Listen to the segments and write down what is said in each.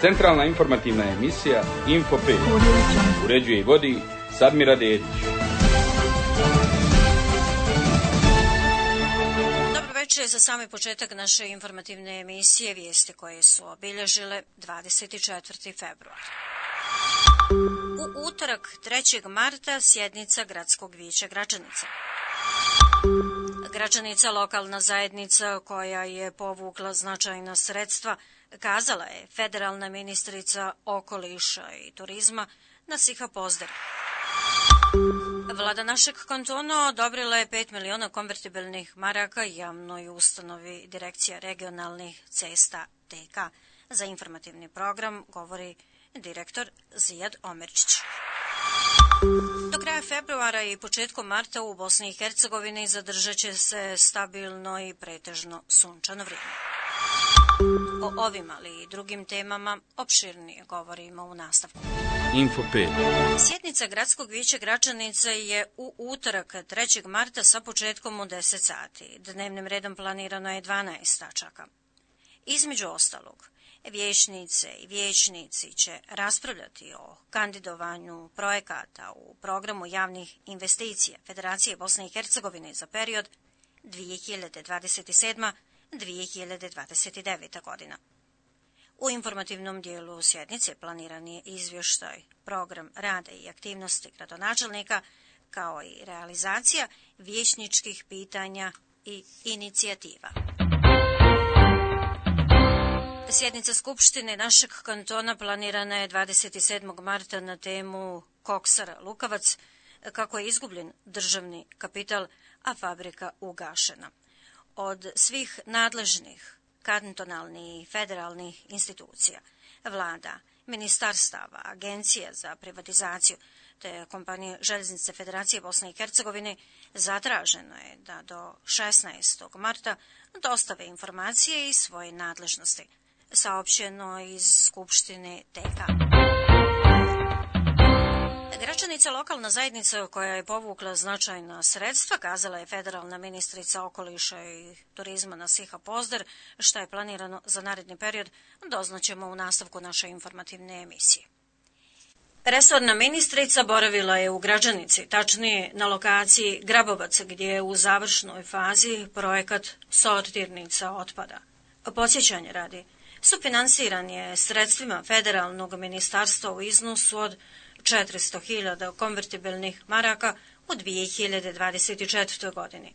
Centralna informativna emisija Info 5. Uređuje i vodi Sadmira Dedić. Dobro večer, za sami početak naše informativne emisije vijesti koje su obilježile 24. februar. U utorak 3. marta sjednica Gradskog vijeća Gračanica. Gračanica, lokalna zajednica koja je povukla značajna sredstva, kazala je federalna ministrica okoliša i turizma Nasiha Pozder. Vlada našeg kantona odobrila je 5 miliona konvertibilnih maraka javnoj ustanovi Direkcija regionalnih cesta TK. Za informativni program govori direktor Zijad Omerčić. Do kraja februara i početkom marta u Bosni i Hercegovini zadržat će se stabilno i pretežno sunčano vrijeme. O ovim, ali i drugim temama opširnije govorimo u nastavku. Info 5. Sjednica Gradskog vijeća Gračanica je u utorak 3. marta sa početkom u 10 sati. Dnevnim redom planirano je 12 tačaka. Između ostalog, vijećnice i vijećnici će raspravljati o kandidovanju projekata u programu javnih investicija Federacije Bosne i Hercegovine za period 2027-2029. godina. U informativnom dijelu sjednice planiran je izvještaj, program rada i aktivnosti gradonačelnika, kao i realizacija vijećničkih pitanja i inicijativa. Sjednica Skupštine našeg kantona planirana je 27. marta na temu Koksara Lukavac, kako je izgubljen državni kapital, a fabrika ugašena. Od svih nadležnih kantonalnih i federalnih institucija, vlada, ministarstava, agencija za privatizaciju te kompanije Željeznice Federacije Bosne i Hercegovine zatraženo je da do 16. marta dostave informacije iz svoje nadležnosti, saopćeno iz Skupštine TK. Gračanica, lokalna zajednica koja je povukla značajna sredstva, kazala je federalna ministrica okoliša i turizma Nasiha Pozder. Šta je planirano za naredni period, doznaćemo u nastavku naše informativne emisije. Resorna ministrica boravila je u Gračanici, tačnije na lokaciji Grabovac, gdje je u završnoj fazi projekat sortirnica otpada. Podsjećanje radi, sufinansiran je sredstvima federalnog ministarstva u iznosu od 400.000 konvertibilnih maraka u 2024. godini.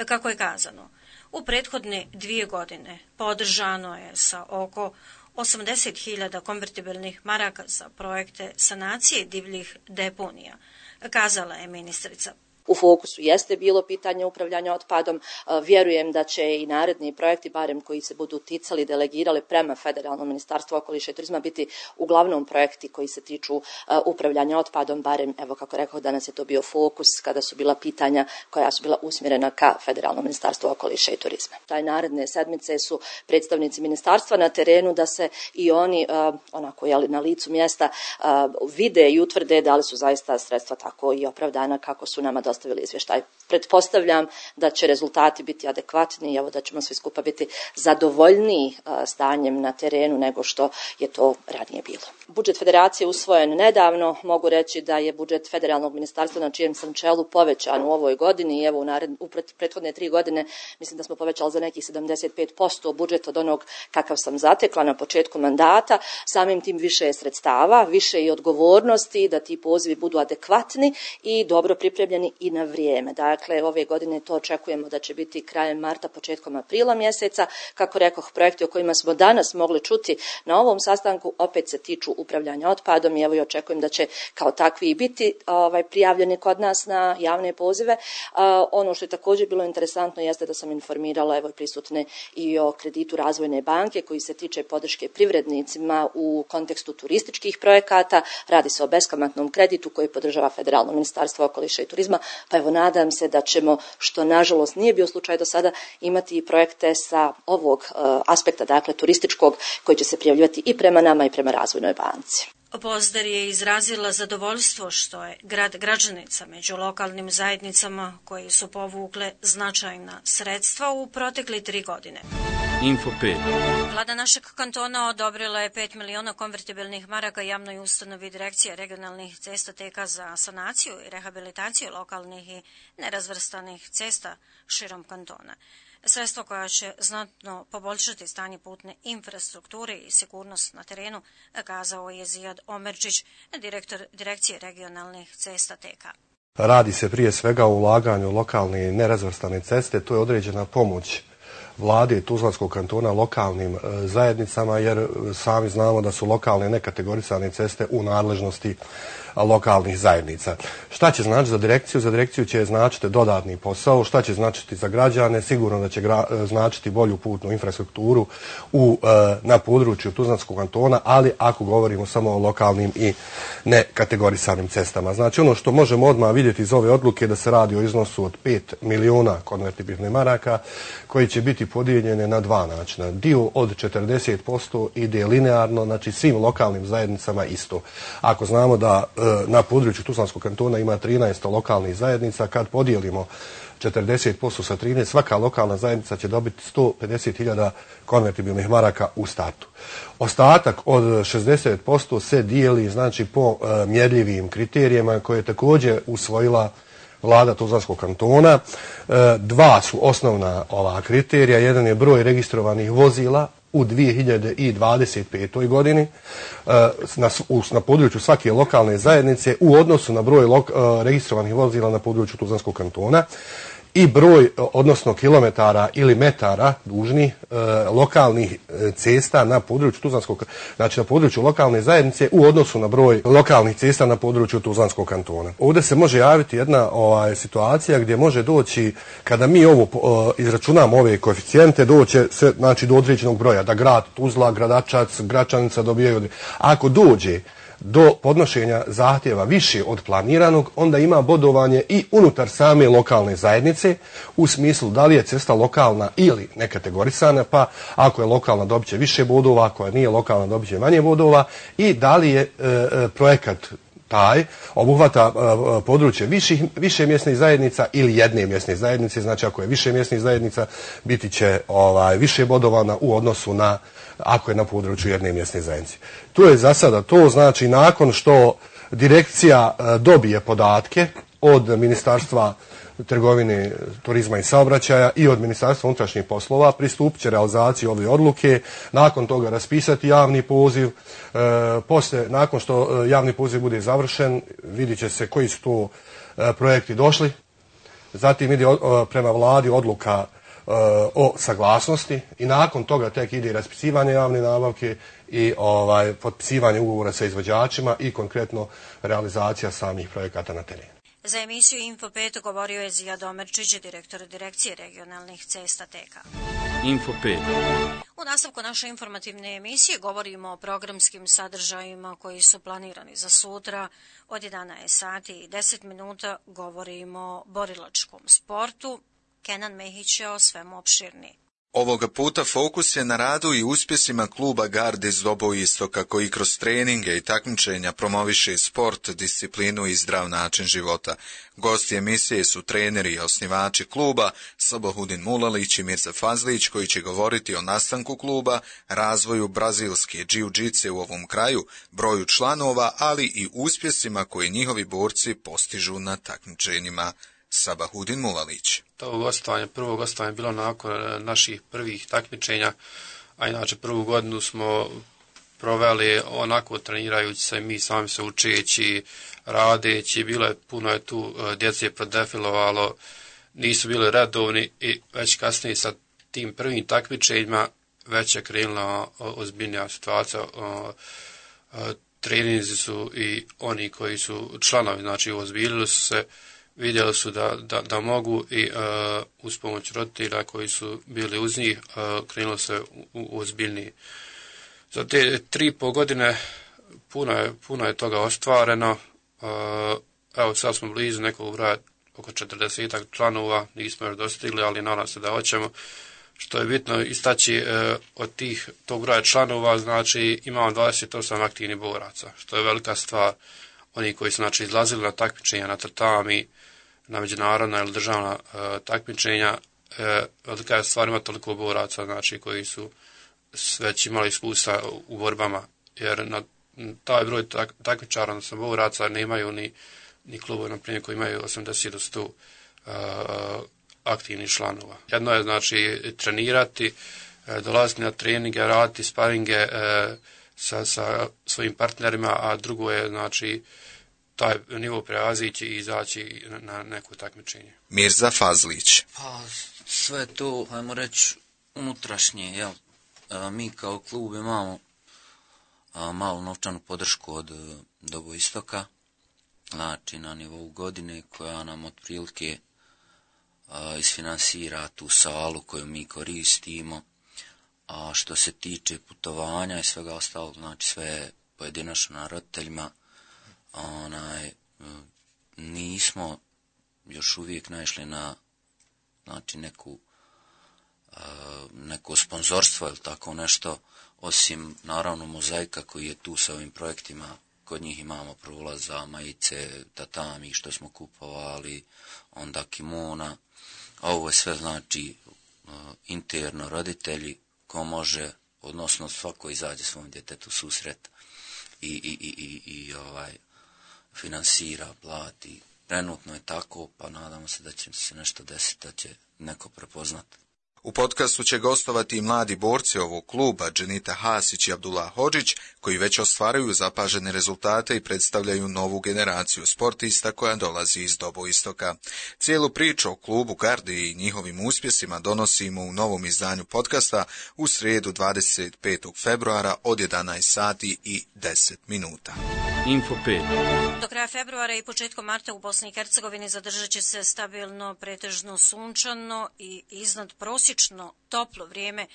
Kako je kazano, u prethodne 2 godine podržano je sa oko 80.000 konvertibilnih maraka za projekte sanacije divljih deponija, kazala je ministrica. U fokusu jeste bilo pitanje upravljanja otpadom. Vjerujem da će i naredni projekti, barem koji se budu ticali, delegirali prema Federalnom ministarstvu okoliša i turizma, biti uglavnom projekti koji se tiču upravljanja otpadom, barem, evo kako rekao, danas je to bio fokus kada su bila pitanja koja su bila usmjerena ka Federalnom ministarstvu okoliša i turizma. Taj naredne sedmice su predstavnici ministarstva na terenu da se i oni, onako na licu mjesta, vide i utvrde da li su zaista sredstva tako i opravdana kako su nama dostavili izvještaj. Pretpostavljam da će rezultati biti adekvatni i evo da ćemo svi skupa biti zadovoljniji stanjem na terenu nego što je to ranije bilo. Budžet federacije usvojen nedavno. Mogu reći da je budžet federalnog ministarstva na čijem sam čelu povećan u ovoj godini i evo u prethodne 3 godine mislim da smo povećali za nekih 75% budžet od onog kakav sam zatekla na početku mandata. Samim tim više je sredstava, više i odgovornosti da ti pozivi budu adekvatni i dobro pripremljeni i na vrijeme. Dakle, ove godine to očekujemo da će biti krajem marta, početkom aprila mjeseca. Kako rekoh, projekti o kojima smo danas mogli čuti na ovom sastanku opet se tiču upravljanja otpadom i evo i očekujem da će kao takvi i biti prijavljeni kod nas na javne pozive. Ono što je također bilo interesantno jeste da sam informirala evo prisutne i o kreditu Razvojne banke koji se tiče podrške privrednicima u kontekstu turističkih projekata. Radi se o beskamatnom kreditu koji podržava Federalno ministarstvo okoliša i turizma, pa evo nadam se da ćemo, što nažalost nije bio slučaj do sada, imati i projekte sa ovog aspekta, dakle turističkog, koji će se prijavljivati i prema nama i prema Razvojnoj banci. Pozder je izrazila zadovoljstvo što je grad Gračanica među lokalnim zajednicama koji su povukle značajna sredstva u protekle 3 godine. Info 5. Vlada našeg kantona odobrila je 5 miliona konvertibilnih maraka javnoj ustanovi Direkcije regionalnih cesta TK za sanaciju i rehabilitaciju lokalnih i nerazvrstanih cesta širom kantona. Sredstvo koja će znatno poboljšati stanje putne infrastrukture i sigurnost na terenu, kazao je Zijad Omerčić, direktor Direkcije regionalnih cesta TK. Radi se prije svega o ulaganju lokalne nerazvrstane ceste, to je određena pomoć vlade Tuzlanskog kantona lokalnim zajednicama, jer sami znamo da su lokalne nekategorisane ceste u nadležnosti lokalnih zajednica. Šta će značiti za direkciju? Za direkciju će značiti dodatni posao. Šta će značiti za građane? Sigurno da će značiti bolju putnu infrastrukturu na području Tuzlanskog kantona, ali ako govorimo samo o lokalnim i nekategorisanim cestama. Znači ono što možemo odmah vidjeti iz ove odluke da se radi o iznosu od 5 miliona konvertibilnih maraka koji će biti podijeljene na dva načina. Dio od 40% ide linearno, znači svim lokalnim zajednicama isto. Ako znamo da na području Tuzlanskog kantona ima 13 lokalnih zajednica, kad podijelimo 40% sa 13, svaka lokalna zajednica će dobiti 150.000 konvertibilnih maraka u startu. Ostatak od 60% se dijeli znači po mjerljivim kriterijima koje je također usvojila vlada Tuzlanskog kantona. Dva su osnovna ova kriterija. Jedan je broj registrovanih vozila u 2025. godini na području svake lokalne zajednice u odnosu na broj registrovanih vozila na području Tuzlanskog kantona i broj, odnosno kilometara ili metara dužnih lokalnih cesta na području Tuzlanskog, znači na području lokalne zajednice u odnosu na broj lokalnih cesta na području Tuzlanskog kantona. Ovdje se može javiti jedna situacija gdje može doći, kada mi ovo izračunamo ove koeficijente, doće se znači do određenog broja, da grad Tuzla, Gradačac, Gračanica dobijaju. Ako dođe do podnošenja zahtjeva više od planiranog, onda ima bodovanje i unutar same lokalne zajednice u smislu da li je cesta lokalna ili nekategorisana, pa ako je lokalna dobit će više bodova, ako nije lokalna dobit će manje bodova, i da li je projekat taj obuhvata područje više mjesnih zajednica ili jedne mjesne zajednice. Znači ako je više mjesnih zajednica biti će više bodovana u odnosu na ako je na području jedne mjesne zajednice. Tu je za sada to, znači nakon što direkcija dobije podatke od Ministarstva trgovine, turizma i saobraćaja i od Ministarstva unutrašnjih poslova, pristupit će realizaciji ove odluke, nakon toga raspisati javni poziv, poslije, nakon što javni poziv bude završen, vidjet će se koji su to projekti došli, zatim ide prema vladi odluka o saglasnosti i nakon toga tek ide raspisivanje javne nabavke i potpisivanje ugovora sa izvođačima i konkretno realizacija samih projekata na terenu. Za emisiju Info 5 govorio je Zijad Omerčić, direktor Direkcije regionalnih cesta TK. Info 5. U nastavku naše informativne emisije govorimo o programskim sadržajima koji su planirani za sutra. Od 11 sati i 10 minuta govorimo o borilačkom sportu. Kenan Mehić je o svemu opširniji. Ovoga puta fokus je na radu i uspjesima kluba Garde iz Doboistoka koji kroz treninge i takmičenja promoviše sport, disciplinu i zdrav način života. Gosti emisije su treneri i osnivači kluba Sabahudin Mulalić i Mirza Fazlić koji će govoriti o nastanku kluba, razvoju brazilske džiu-džice u ovom kraju, broju članova, ali i uspjesima koje njihovi borci postižu na takmičenjima. Sabahudin Mulalić. Prvo gostovanje je bilo nakon naših prvih takmičenja, a inače prvu godinu smo proveli onako trenirajući se, mi sami se učeći, radeći, puno je tu djece prodefilovalo, nisu bili redovni i već kasnije sa tim prvim takmičenjima već je krenula ozbiljnija situacija. Treninzi su i oni koji su članovi, znači ozbiljili su se, vidjeli su da mogu i uz pomoć roditelja koji su bili uz njih krenulo se u ozbiljniji. Za te 3,5 godine puno je toga ostvareno. Evo sad smo blizu nekog broja, oko 40 članova, nismo još dostigli, ali nadam se da hoćemo. Što je bitno istaći od tog broja članova, znači imamo 28 aktivnih boraca, što je velika stvar. Oni koji su znači izlazili na takmičenja, na tatami, na međunarodna ili državna takmičenja, velika je stvar ima toliko boraca, znači, koji su već imali iskustva u borbama, jer na taj broj takmičara, odnosno boraca, nemaju ni klubovi, na primjer, koji imaju 80 do 100 aktivnih članova. Jedno je, znači, trenirati, dolaziti na treninge, raditi sparinge sa svojim partnerima, a drugo je, znači, taj nivo prevazići i izaći na neko takmičenje. Mirza Fazlić. Pa sve to, ajmo reći, unutrašnje, jel? Mi kao klub imamo malu novčanu podršku od Dobo Istoka, znači na nivou godine, koja nam otprilike isfinansira tu salu koju mi koristimo. A što se tiče putovanja i svega ostalog, znači sve pojedinačno na roditeljima, nismo još uvijek naišli na, znači, neko sponzorstvo ili tako nešto, osim naravno Mozaika koji je tu sa ovim projektima. Kod njih imamo prolaza, majice, tatami što smo kupovali, onda kimona, a ovo je sve, znači, interno roditelji, ko može, odnosno svako izađe svom djetetu susret i finansira, plati. Trenutno je tako, pa nadamo se da će se nešto desiti, da će neko prepoznati. U podcastu će gostovati i mladi borci ovog kluba, Dženita Hasić i Abdullah Hodžić, koji već ostvaruju zapažene rezultate i predstavljaju novu generaciju sportista koja dolazi iz Dobo Istoka. Cijelu priču o klubu Gardi i njihovim uspjesima donosimo u novom izdanju podcasta u srijedu 25. februara od 11 sati i 10 minuta. Info 5. Do kraja februara i početkom marta u Bosni i Hercegovini zadržat će se stabilno, pretežno sunčano i iznad prosječno toplo vrijeme,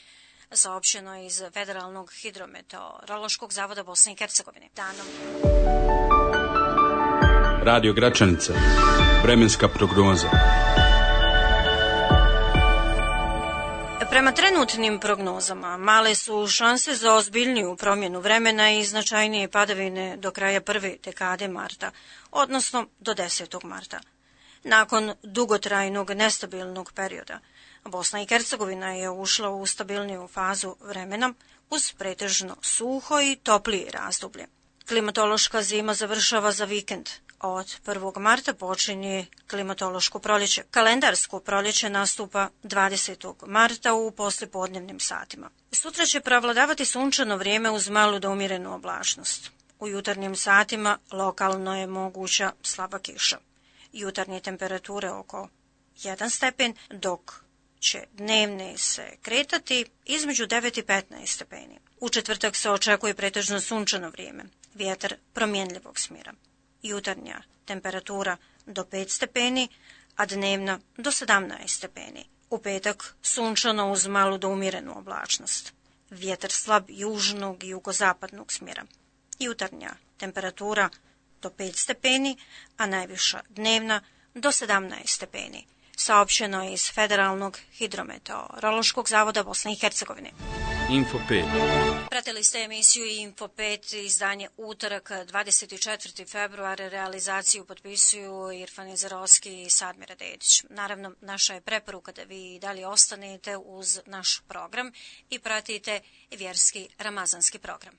saopćeno iz Federalnog hidrometeorološkog zavoda Bosne i Hercegovine. Danom. Radio Gračanica. Vremenska prognoza. Prema trenutnim prognozama, male su šanse za ozbiljniju promjenu vremena i značajnije padavine do kraja prve dekade marta, odnosno do 10. marta. Nakon dugotrajnog nestabilnog perioda, Bosna i Hercegovina je ušla u stabilniju fazu vremena uz pretežno suho i toplije razdoblje. Klimatološka zima završava za vikend. Od 1. marta počinje klimatološko proljeće. Kalendarsko proljeće nastupa 20. marta u poslijepodnevnim satima. Sutra će prevladavati sunčano vrijeme uz malu do umjerenu oblačnost. U jutarnjim satima lokalno je moguća slaba kiša. Jutarnje temperature oko 1 stepen, dok će dnevne se kretati između 9 i 15 stepeni. U četvrtak se očekuje pretežno sunčano vrijeme, vjetar promjenljivog smjera. Jutarnja temperatura do 5 stepeni, a dnevna do 17 stepeni. U petak sunčano uz malu do umjerenu oblačnost. Vjetar slab južnog i jugozapadnog smjera. Jutarnja temperatura do 5 stepeni, a najviša dnevna do 17 stepeni. Saopćeno je iz Federalnog hidrometeorološkog zavoda Bosne i Hercegovine. Info 5. Pratili ste emisiju Info 5, izdanje utorak 24. februar, realizaciju potpisuju Irfan Izerovski i Sadmira Dedić. Naravno, naša je preporuka da vi dalje ostanete uz naš program i pratite vjerski ramazanski program.